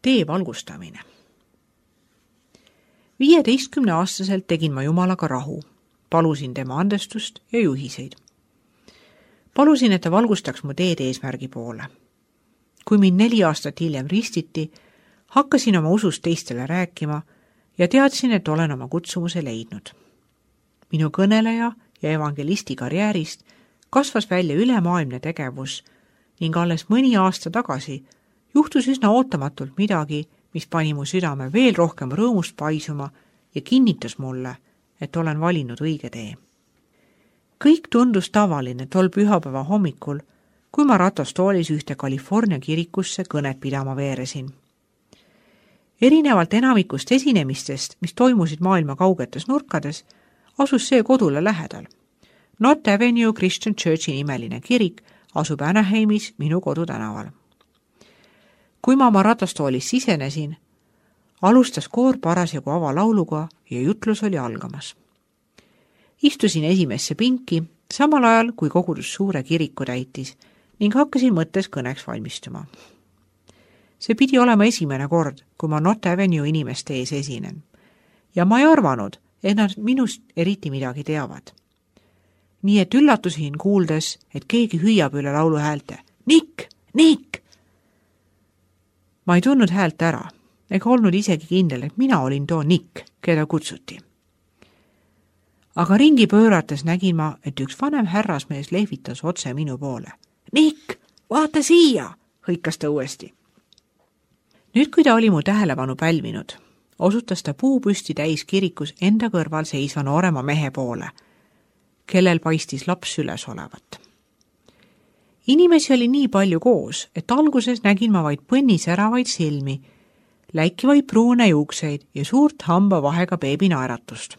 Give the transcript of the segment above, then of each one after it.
tee valgustamine. 15-aastaselt tegin ma Jumalaga rahu, palusin tema andestust ja juhiseid. Palusin, et ta valgustaks mu teed eesmärgi poole. Kui mind 4 aastat hiljem ristiti, hakkasin oma usust teistele rääkima ja teadsin, et olen oma kutsumuse leidnud. Minu kõneleja ja evangelisti karjäärist kasvas välja ülemaailmne tegevus ning alles mõni aasta tagasi juhtus üsna ootamatult midagi, mis pani mu südame veel rohkem rõõmust paisuma ja kinnitas mulle, et olen valinud õige tee. Kõik tundus tavaline tol pühapäeva hommikul, kui ma ratastoolis ühte California kirikusse kõnet pidama veeresin. Erinevalt enamikust esinemistest, mis toimusid maailma kaugetes nurkades, asus see kodule lähedal. North Avenue Christian Churchi nimeline kirik asub Anaheimis minu kodutänaval. Kui ma oma ratastoolis sisenesin, alustas koor parasjagu avalauluga ja jutlus oli algamas. Istusin esimesse pinki, samal ajal kui kogudus suure kiriku täitis ning hakkasin mõttes kõneks valmistuma. See pidi olema esimene kord, kui ma North Avenue inimeste ees esinen. Ja ma ei arvanud, et nad minust eriti midagi teavad. Nii et üllatusin kuuldes, et keegi hüüab üle laulu häälte. Nick! Nick! Ma ei tundnud häält ära, ega olnud isegi kindel, et mina olin too Nick, keda kutsuti. Aga ringi pöörates nägin ma, et üks vanem härrasmees lehvitas otse minu poole. Nick, vaata siia, hõikas ta uuesti. Nüüd, kui ta oli mu tähelepanu pälvinud, osutas ta puupüsti täis kirikus enda kõrval seisva noorema mehe poole, kellel paistis laps süles olevat. Inimesi oli nii palju koos, et alguses nägin ma vaid põnnisäravaid silmi, läikivaid pruune juukseid ja suurt hamba vahega beebi naeratust.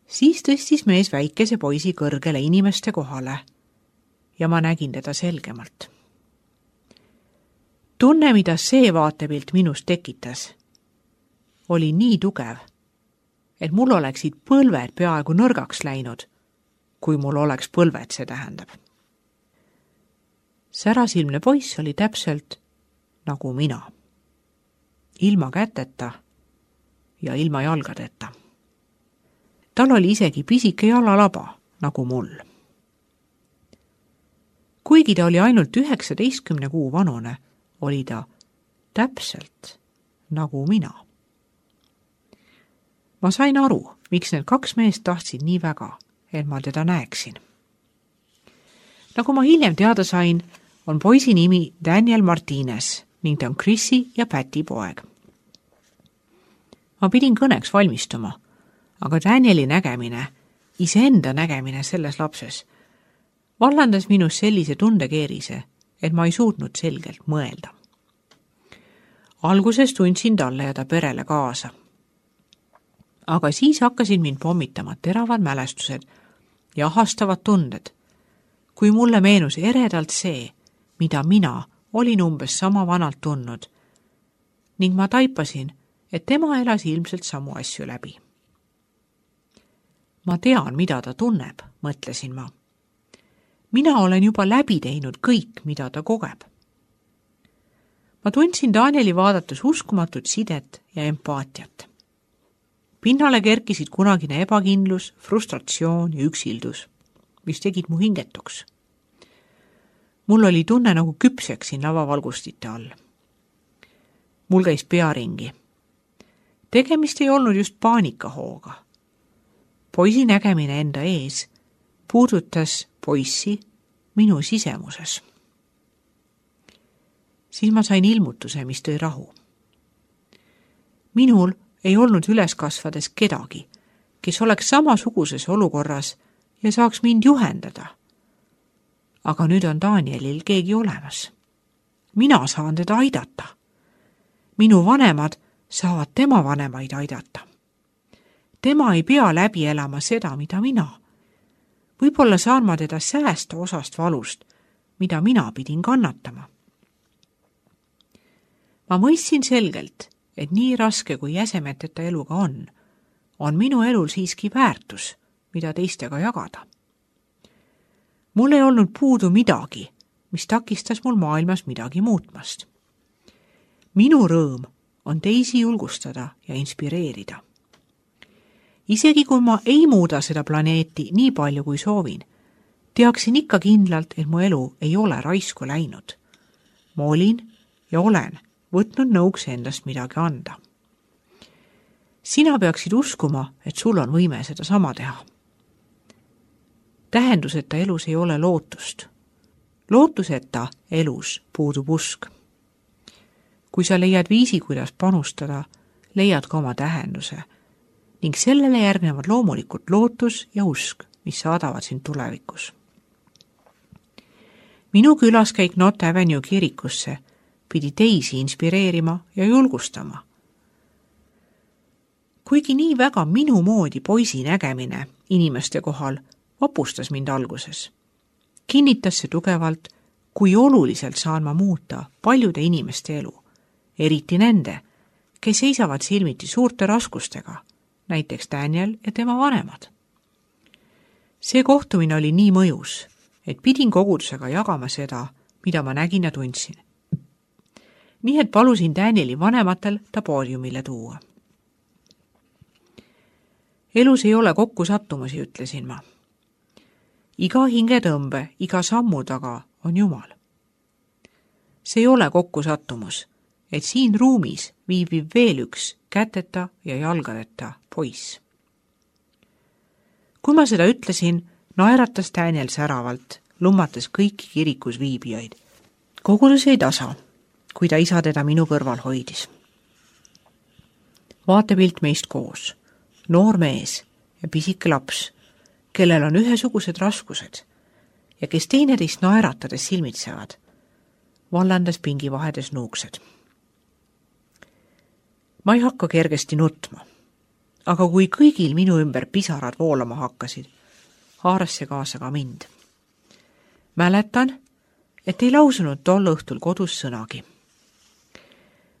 Siis tõstis mees väikese poisi kõrgele inimeste kohale ja ma nägin teda selgemalt. Tunne, mida see vaatepilt minust tekitas, oli nii tugev, et mul oleksid põlved peaaegu nõrgaks läinud, kui mul oleks põlved, see tähendab. Särasilmne poiss oli täpselt nagu mina, ilma käteta ja ilma jalgadeta. Tal oli isegi pisike jalalaba, nagu mul. Kuigi ta oli ainult 19 kuu vanune, oli ta täpselt nagu mina. Ma sain aru, miks need 2 meest tahtsid nii väga, et ma teda näeksin. Nagu ma hiljem teada sain, on poisi nimi Daniel Martinez ning ta on Chrissy ja Päti poeg. Ma pidin kõneks valmistuma, aga Danieli nägemine, iseenda nägemine selles lapses, vallandas minus sellise tundekeerise, et ma ei suutnud selgelt mõelda. Alguses tundsin talle ja ta perele kaasa. Aga siis hakkasid mind pommitama teravad mälestused ja ahastavad tunded, kui mulle meenus eredalt see, mida mina olin umbes sama vanalt tundnud, ning ma taipasin, et tema elas ilmselt samu asju läbi. Ma tean, mida ta tunneb, mõtlesin ma. Mina olen juba läbi teinud kõik, mida ta kogeb. Ma tundsin Danieli vaadates uskumatut sidet ja empaatiat. Pinnale kerkisid kunagine ebakindlus, frustratsioon ja üksildus, mis tegid mu hingetuks. Mul oli tunne, nagu küpseksin lavavalgustite all. Mul käis pea ringi. Tegemist ei olnud just paanikahooga. Poisi nägemine enda ees puudutas poissi minu sisemuses. Siis ma sain ilmutuse, mis tõi rahu. Minul ei olnud üles kasvades kedagi, kes oleks samasuguses olukorras ja saaks mind juhendada. Aga nüüd on Danielil keegi olemas. Mina saan teda aidata. Minu vanemad saavad tema vanemaid aidata. Tema ei pea läbi elama seda, mida mina. Võib-olla saan ma teda säästa osast valust, mida mina pidin kannatama. Ma mõistsin selgelt, et nii raske kui jäsemeteta eluga on minu elul siiski väärtus, mida teistega jagada. Mul ei olnud puudu midagi, mis takistas mul maailmas midagi muutmast. minu rõõm on teisi julgustada ja inspireerida. Isegi kui ma ei muuda seda planeeti nii palju kui soovin, teaksin ikka kindlalt, et mu elu ei ole raisku läinud. Ma olin ja olen võtnud nõuks endast midagi anda. Sina peaksid uskuma, et sul on võime seda sama teha. Tähenduseta elus ei ole lootust. Lootuseta elus puudub usk. Kui sa leiad viisi, kuidas panustada, leiad ka oma tähenduse ning sellele järgnevad loomulikult lootus ja usk, mis saadavad sind tulevikus. Minu külaskäik Not Avenue kirikusse pidi teisi inspireerima ja julgustama. Kuigi nii väga minu moodi poisi nägemine inimeste kohal vapustas mind alguses, kinnitas see tugevalt, kui oluliselt saan ma muuta paljude inimeste elu, eriti nende, kes seisavad silmiti suurte raskustega, näiteks Daniel ja tema vanemad. See kohtumine oli nii mõjus, et pidin kogudusega jagama seda, mida ma nägin ja tundsin. Nii et palusin Danieli vanematel ta poodiumile tuua. Elus ei ole kokkusattumusi, ütlesin ma. Iga hingetõmbe, iga sammu taga on Jumal. See ei ole kokkusattumus, et siin ruumis viibib veel üks käteta ja jalgadeta poiss. Kui ma seda ütlesin, naeratas Daniel säravalt, lummates kõiki kirikus viibijaid. Kogudus jäi tasa, kui ta isa teda minu kõrval hoidis. Vaatepilt meist koos, noor mees ja pisike laps, kellel on ühesugused raskused ja kes teineteist naeratades silmitsevad, vallandas pingi vahedes nuuksed. Ma ei hakka kergesti nutma, aga kui kõigil minu ümber pisarad voolama hakkasid, haaras see kaasa ka mind. Mäletan, et ei lausunud tol õhtul kodus sõnagi.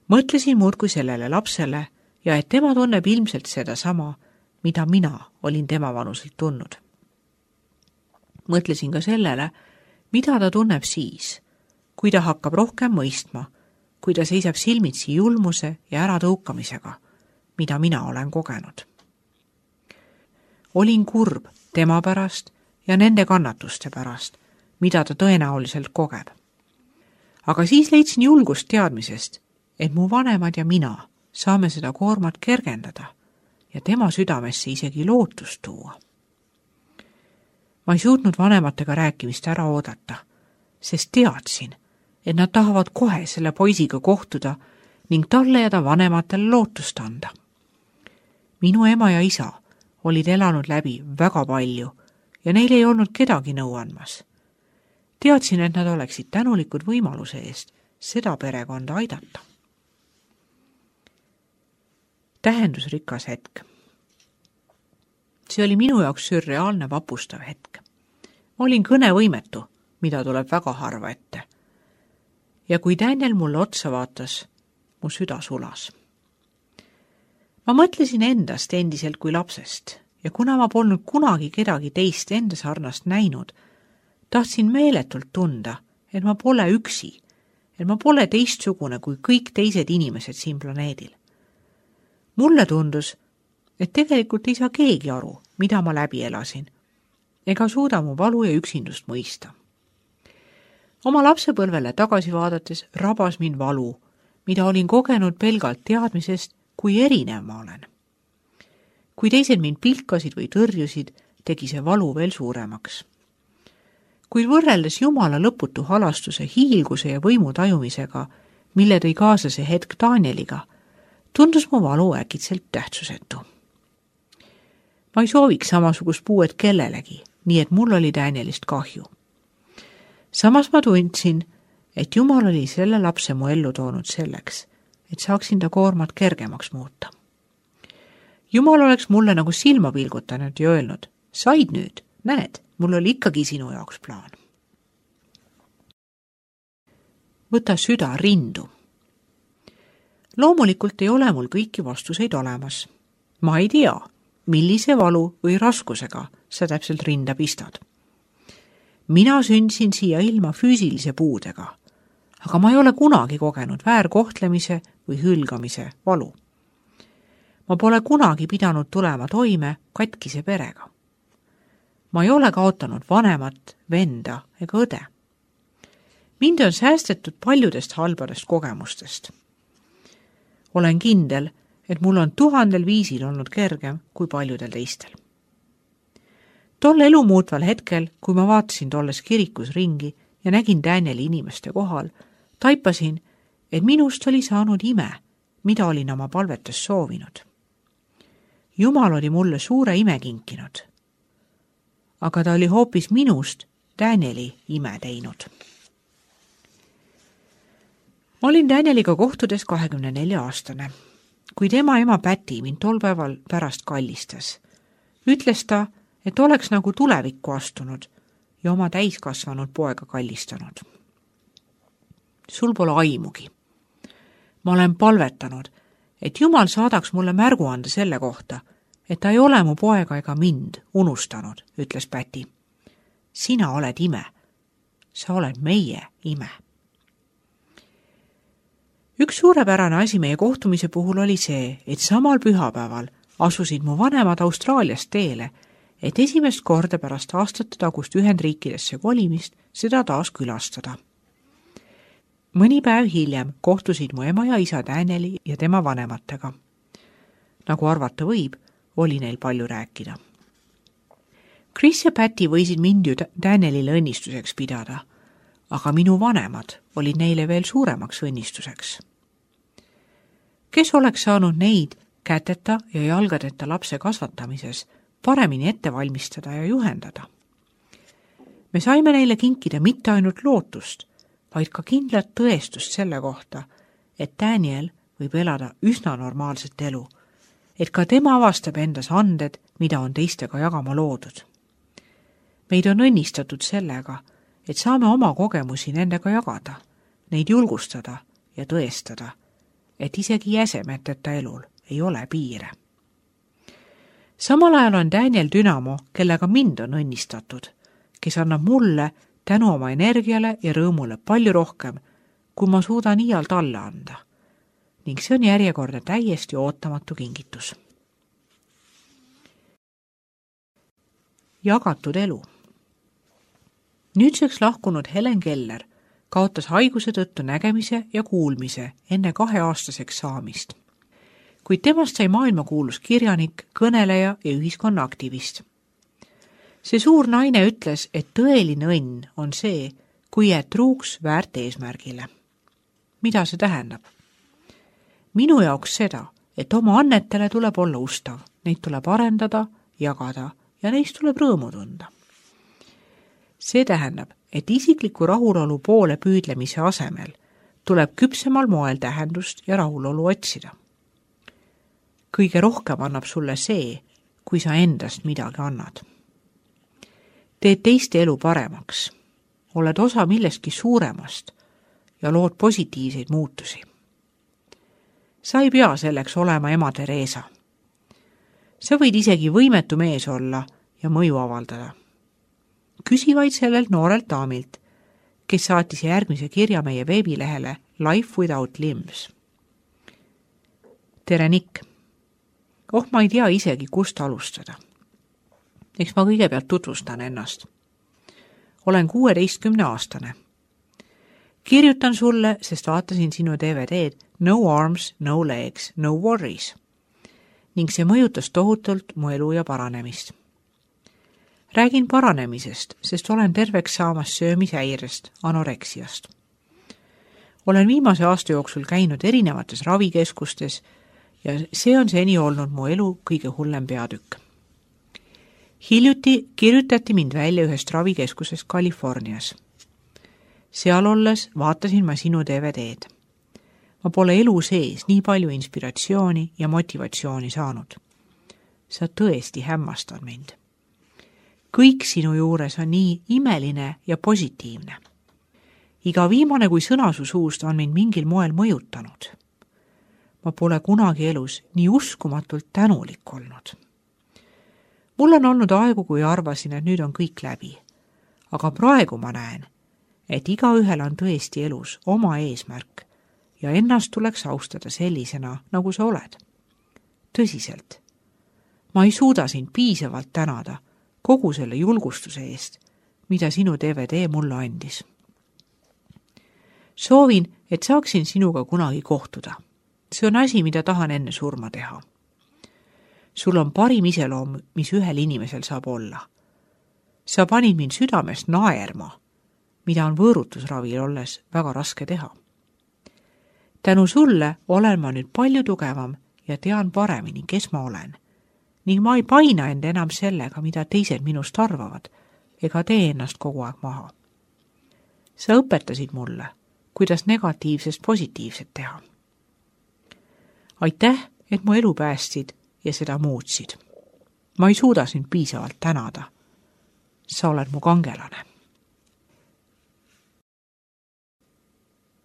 Mõtlesin muudkui sellele lapsele ja et tema tunneb ilmselt seda sama, mida mina olin tema vanuselt tundnud. Mõtlesin ka sellele, mida ta tunneb siis, kui ta hakkab rohkem mõistma, kui ta seisab silmitsi julmuse ja äratõukamisega, mida mina olen kogenud. Olin kurb tema pärast ja nende kannatuste pärast, mida ta tõenäoliselt kogeb. Aga siis leidsin julgust teadmisest, et mu vanemad ja mina saame seda koormat kergendada ja tema südamesse isegi lootust tuua. Ma ei suutnud vanematega rääkimist ära oodata, sest teadsin, et nad tahavad kohe selle poisiga kohtuda ning talle ja ta vanematele lootust anda. Minu ema ja isa olid elanud läbi väga palju ja neil ei olnud kedagi nõu andmas. Teadsin, et nad oleksid tänulikud võimaluse eest seda perekonda aidata. Tähendusrikas hetk. See oli minu jaoks sürreaalne vapustav hetk. Ma olin kõnevõimetu, mida tuleb väga harva ette. Ja kui Daniel mulle otsa vaatas, mu süda sulas. Ma mõtlesin endast endiselt kui lapsest ja kuna ma polnud kunagi kedagi teist enda sarnast näinud, tahtsin meeletult tunda, et ma pole üksi, et ma pole teistsugune kui kõik teised inimesed siin planeedil. Mulle tundus, et tegelikult ei saa keegi aru, mida ma läbi elasin, ega suuda mu valu ja üksindust mõista. Oma lapsepõlvele tagasi vaadates rabas mind valu, mida olin kogenud pelgalt teadmisest, kui erinev ma olen. Kui teised mind pilkasid või tõrjusid, tegi see valu veel suuremaks. Kuid võrreldes Jumala lõputu halastuse, hiilguse ja võimu tajumisega, mille tõi kaasa see hetk Danieliga, tundus mu valu äkitselt tähtsusetu. Ma ei sooviks samasugust puuet kellelegi, nii et mul oli Danielist kahju. Samas ma tundsin, et Jumal oli selle lapse mu ellu toonud selleks, et saaksin ta koormat kergemaks muuta. Jumal oleks mulle nagu silma pilgutanud ja öelnud, said nüüd, näed, mul oli ikkagi sinu jaoks plaan. Võta süda rindu. Loomulikult ei ole mul kõiki vastuseid olemas. Ma ei tea, millise valu või raskusega sa täpselt rinda pistad. Mina sündsin siia ilma füüsilise puudega, aga ma ei ole kunagi kogenud väärkohtlemise või hülgamise valu. Ma pole kunagi pidanud tulema toime katkise perega. Ma ei ole kaotanud vanemat, venda ega õde. Mind on säästetud paljudest halbadest kogemustest. Olen kindel, et mul on 1000 viisil olnud kergem kui paljudel teistel. Tol elu muutval hetkel, kui ma vaatasin tolles kirikus ringi ja nägin Danieli inimeste kohal, taipasin, et minust oli saanud ime, mida olin oma palvetes soovinud. Jumal oli mulle suure ime kinkinud, aga ta oli hoopis minust Danieli ime teinud. Ma olin Danieliga kohtudes 24-aastane. Kui tema ema Päti mind tol päeval pärast kallistas, ütles ta, et oleks nagu tulevikku astunud ja oma täiskasvanud poega kallistanud. Sul pole aimugi. Ma olen palvetanud, et Jumal saadaks mulle märgu anda selle kohta, et ta ei ole mu poega ega mind unustanud, ütles Päti. Sina oled ime. Sa oled meie ime. Üks suurepärane asi meie kohtumise puhul oli see, et samal pühapäeval asusid mu vanemad Austraaliast teele, et esimest korda pärast aastate tagust Ühendriikidesse kolimist seda taas külastada. Mõni päev hiljem kohtusid mu ema ja isa Danieli ja tema vanematega. Nagu arvata võib, oli neil palju rääkida. Chris ja Päti võisid mind ju Danielile õnnistuseks pidada, aga minu vanemad olid neile veel suuremaks õnnistuseks. Kes oleks saanud neid käteta ja jalgadeta lapse kasvatamises paremini ette valmistada ja juhendada? Me saime neile kinkida mitte ainult lootust, vaid ka kindlat tõestust selle kohta, et Daniel võib elada üsna normaalset elu, et ka tema avastab endas anded, mida on teistega jagama loodud. Meid on õnnistatud sellega, et saame oma kogemusi nendega jagada, neid julgustada ja tõestada, et isegi jäsemeteta elul ei ole piire. Samal ajal on Daniel dünamo, kellega mind on õnnistatud, kes annab mulle tänu oma energiale ja rõõmule palju rohkem, kui ma suudan iial talle anda. Ning see on järjekordne täiesti ootamatu kingitus. Jagatud elu. Nüüdseks lahkunud Helen Keller kaotas haiguse tõttu nägemise ja kuulmise enne 2-aastaseks saamist. Kuid temast sai maailmakuulus kirjanik, kõneleja ja ühiskonnaaktivist. See suur naine ütles, et tõeline õnn on see, kui jääd truuks väärt eesmärgile. Mida see tähendab? Minu jaoks seda, et oma annetele tuleb olla ustav, neid tuleb arendada, jagada ja neist tuleb rõõmu tunda. See tähendab, et isikliku rahulolu poole püüdlemise asemel tuleb küpsemal moel tähendust ja rahulolu otsida. Kõige rohkem annab sulle see, kui sa endast midagi annad. Teed teiste elu paremaks, oled osa millestki suuremast ja lood positiivseid muutusi. Sa ei pea selleks olema ema Teresa. Sa võid isegi võimetu mees olla ja mõju avaldada. Küsi vaid sellelt noorelt daamilt, kes saatis järgmise kirja meie veebilehele Life Without Limbs. Tere, Nick! Ma ei tea isegi, kust alustada. Eks ma kõigepealt tutvustan ennast. Olen 16-aastane. Kirjutan sulle, sest vaatasin sinu DVD-d No Arms, No Legs, No Worries. Ning see mõjutas tohutult mu elu ja paranemist. Räägin paranemisest, sest olen terveks saamas söömishäirest, anoreksiast. Olen viimase aasta jooksul käinud erinevates ravikeskustes ja see on seni olnud mu elu kõige hullem peatükk. Hiljuti kirjutati mind välja ühest ravikeskusest Californias. Seal olles vaatasin ma sinu DVD-d. Ma pole elu sees nii palju inspiratsiooni ja motivatsiooni saanud. Sa tõesti hämmastad mind. Kõik sinu juures on nii imeline ja positiivne. Iga viimane kui sõna su suust on mind mingil moel mõjutanud. Ma pole kunagi elus nii uskumatult tänulik olnud. Mul on olnud aegu, kui arvasin, et nüüd on kõik läbi. Aga praegu ma näen, et igaühel on tõesti elus oma eesmärk ja ennast tuleks austada sellisena, nagu sa oled. Tõsiselt. Ma ei suuda sind piisavalt tänada kogu selle julgustuse eest, mida sinu DVD mulle andis. Soovin, et saaksin sinuga kunagi kohtuda. See on asi, mida tahan enne surma teha. Sul on parim iseloom, mis ühel inimesel saab olla. Sa panid mind südamest naerma, mida on võõrutusravil olles väga raske teha. Tänu sulle olen ma nüüd palju tugevam ja tean paremini, kes ma olen. Ning ma ei paina end enam sellega, mida teised minust arvavad, ega tee ennast kogu aeg maha. Sa õpetasid mulle, kuidas negatiivsest positiivset teha. Aitäh, et mu elu päästsid ja seda muutsid. Ma ei suuda sind piisavalt tänada. Sa oled mu kangelane.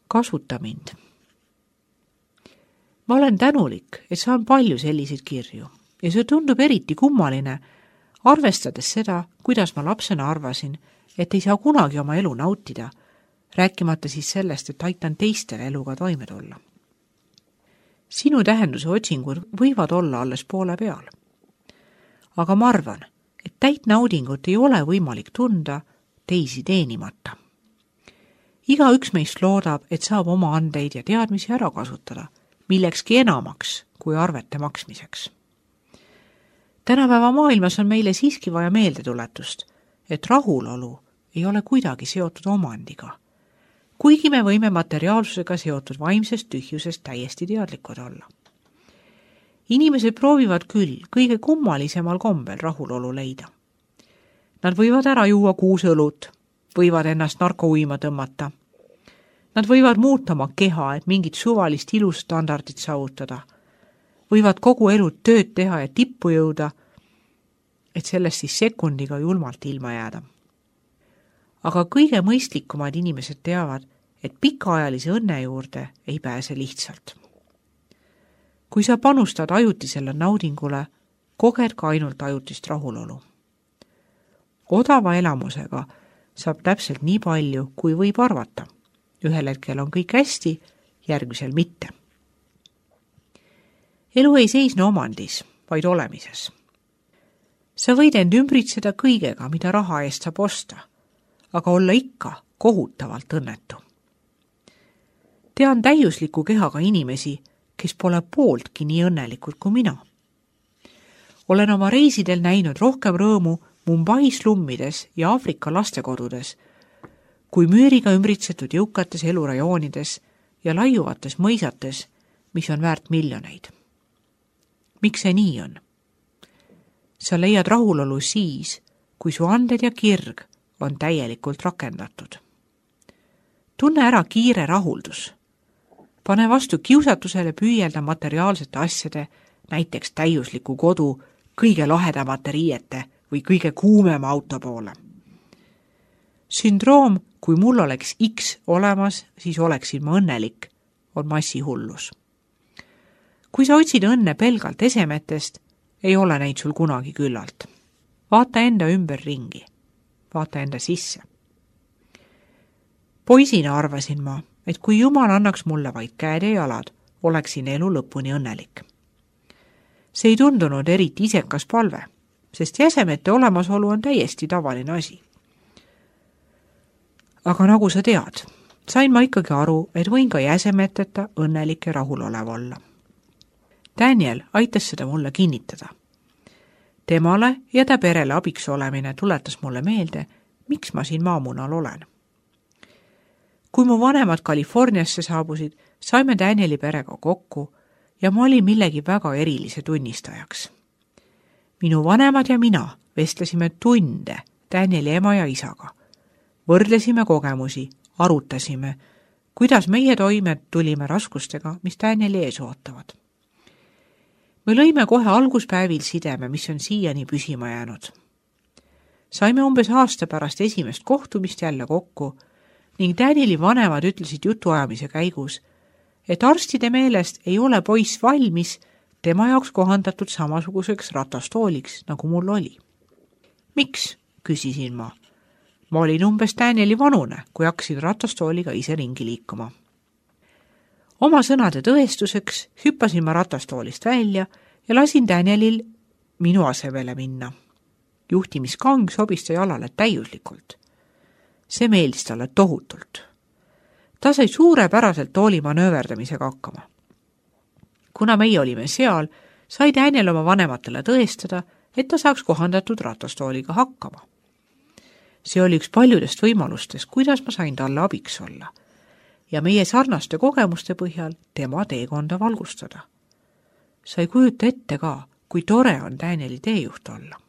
Kasuta mind. Ma olen tänulik, et saan palju selliseid kirju ja see tundub eriti kummaline, arvestades seda, kuidas ma lapsena arvasin, et ei saa kunagi oma elu nautida, rääkimata siis sellest, et aitan teistele eluga toime tulla. Sinu tähenduse otsingud võivad olla alles poole peal. Aga ma arvan, et täit naudingut ei ole võimalik tunda teisi teenimata. Igaüks meist loodab, et saab oma andeid ja teadmisi ära kasutada, millekski enamaks kui arvete maksmiseks. Tänapäeva maailmas on meile siiski vaja meeldetuletust, et rahulolu ei ole kuidagi seotud omandiga, kuigi me võime materiaalsusega seotud vaimsest tühjusest täiesti teadlikud olla. Inimesed proovivad küll kõige kummalisemal kombel rahulolu leida. Nad võivad ära juua 6 õlut, võivad ennast narkouima tõmmata. Nad võivad muuta oma keha, et mingit suvalist ilustandardit saavutada. Võivad kogu elu tööd teha ja tippu jõuda, et sellest siis sekundiga julmalt ilma jääda. Aga kõige mõistlikumad inimesed teavad, et pikaajalise õnne juurde ei pääse lihtsalt. Kui sa panustad ajutisele naudingule, koged ka ainult ajutist rahulolu. Odava elamusega saab täpselt nii palju, kui võib arvata. Ühel hetkel on kõik hästi, järgmisel mitte. Elu ei seisne omandis, vaid olemises. Sa võid end ümbritseda kõigega, mida raha eest saab osta, aga olla ikka kohutavalt õnnetu. Tean täiusliku kehaga inimesi, kes pole pooltki nii õnnelikud kui mina. Olen oma reisidel näinud rohkem rõõmu Mumbai slummides ja Aafrika lastekodudes, kui müüriga ümbritsetud jõukates elurajoonides ja laiuvates mõisates, mis on väärt miljoneid. Miks see nii on? Sa leiad rahulolu siis, kui su anded ja kirg on täielikult rakendatud. Tunne ära kiire rahuldus. Pane vastu kiusatusele püüelda materiaalsete asjade, näiteks täiusliku kodu, kõige lahedamate riiete või kõige kuumema auto poole. Sündroom, kui mul oleks X olemas, siis oleksin ma õnnelik, on massihullus. Kui sa otsid õnne pelgalt esemetest, ei ole neid sul kunagi küllalt. Vaata enda ümber ringi. Vaata enda sisse. Poisina arvasin ma, et kui Jumal annaks mulle vaid käed ja jalad, oleksin elu lõpuni õnnelik. See ei tundunud eriti isekas palve, sest jäsemete olemasolu on täiesti tavaline asi. Aga nagu sa tead, sain ma ikkagi aru, et võin ka jäsemeteta õnnelik ja rahulolev olla. Daniel aitas seda mulle kinnitada. Temale ja ta perele abiks olemine tuletas mulle meelde, miks ma siin maamunal olen. Kui mu vanemad Californiasse saabusid, saime Danieli perega kokku ja ma olin millegi väga erilise tunnistajaks. Minu vanemad ja mina vestlesime tunde Danieli ema ja isaga. Võrdlesime kogemusi, arutasime, kuidas meie toime tulime raskustega, mis Danieli ees ootavad. Me lõime kohe alguspäevil sideme, mis on siiani püsima jäänud. Saime umbes aasta pärast esimest kohtumist jälle kokku ning Danieli vanemad ütlesid jutuajamise käigus, et arstide meelest ei ole poiss valmis tema jaoks kohandatud samasuguseks ratastooliks, nagu mul oli. Miks, küsisin ma. Ma olin umbes Danieli vanune, kui hakkasin ratastooliga ise ringi liikuma. Oma sõnade tõestuseks hüppasin ma ratastoolist välja ja lasin Danielil minu asemele minna. Juhtimiskang sobis ta jalale täiuslikult. See meeldis talle tohutult. Ta sai suurepäraselt tooli manööverdamisega hakkama. Kuna meie olime seal, sai Daniel oma vanematele tõestada, et ta saaks kohandatud ratastooliga hakkama. See oli üks paljudest võimalustest, kuidas ma sain talle abiks olla ja meie sarnaste kogemuste põhjal tema teekonda valgustada. Sa ei kujuta ette ka, kui tore on Danieli teejuht olla.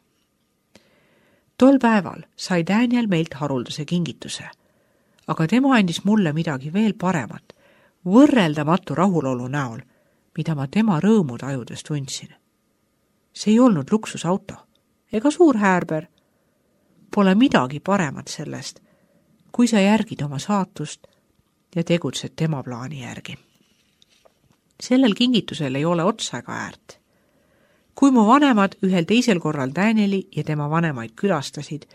Tol päeval sai Daniel meilt haruldase kingituse, aga tema andis mulle midagi veel paremat, võrreldamatu rahulolu näol, mida ma tema rõõmu tajudes tundsin. See ei olnud luksusauto ega suur häärber. Pole midagi paremat sellest, kui sa järgid oma saatust ja tegutsed tema plaani järgi. Sellel kingitusel ei ole otsa ega äärt. Kui mu vanemad ühel teisel korral Danieli ja tema vanemaid külastasid,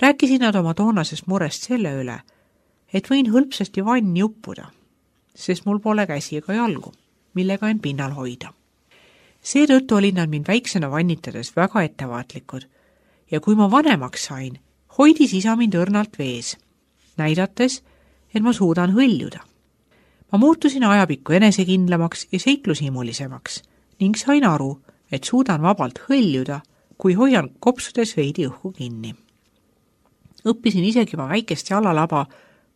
rääkisid nad oma toonasest murest selle üle, et võin hõlpsasti vanni uppuda, sest mul pole käsi ega jalgu, millega end pinnal hoida. Seetõttu olid nad mind väiksena vannitades väga ettevaatlikud ja kui ma vanemaks sain, hoidis isa mind õrnalt vees, näidates, et ma suudan hõljuda. Ma muutusin ajapikku enesekindlamaks ja seiklushimulisemaks ning sain aru, et suudan vabalt hõljuda, kui hoian kopsudes veidi õhku kinni. Õppisin isegi oma väikest jalalaba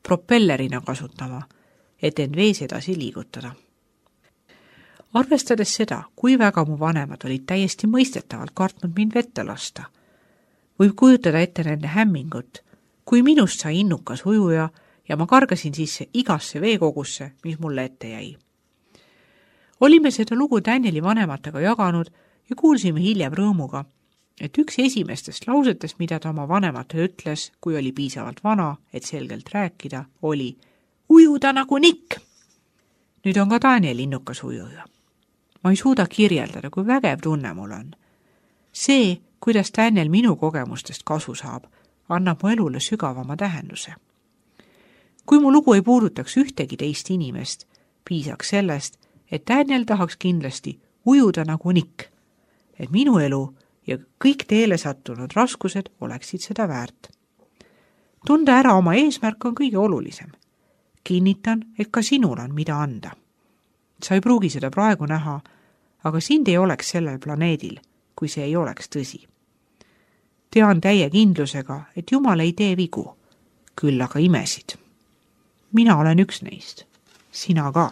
propellerina kasutama, et end vees edasi liigutada. Arvestades seda, kui väga mu vanemad olid täiesti mõistetavalt kartnud mind vette lasta, võib kujutada ette nende hämmingut, kui minust sai innukas ujuja ja ma kargasin sisse igasse veekogusse, mis mulle ette jäi. Olime seda lugu Danieli vanematega jaganud ja kuulsime hiljem rõõmuga, et üks esimestest lausetest, mida ta oma vanematele ütles, kui oli piisavalt vana, et selgelt rääkida, oli ujuda nagu nikk. Nüüd on ka Daniel innukas ujuja. Ma ei suuda kirjeldada, kui vägev tunne mul on. See, kuidas Daniel minu kogemustest kasu saab, annab mu elule sügavama tähenduse. Kui mu lugu ei puudutaks ühtegi teist inimest, piisaks sellest, et Daniel tahaks kindlasti ujuda nagu nikk, et minu elu ja kõik teele sattunud raskused oleksid seda väärt. Tunda ära oma eesmärk on kõige olulisem. Kinnitan, et ka sinul on mida anda. Sa ei pruugi seda praegu näha, aga sind ei oleks sellel planeedil, kui see ei oleks tõsi. Tean täie kindlusega, et Jumal ei tee vigu, küll aga imesid. Mina olen üks neist, sina ka.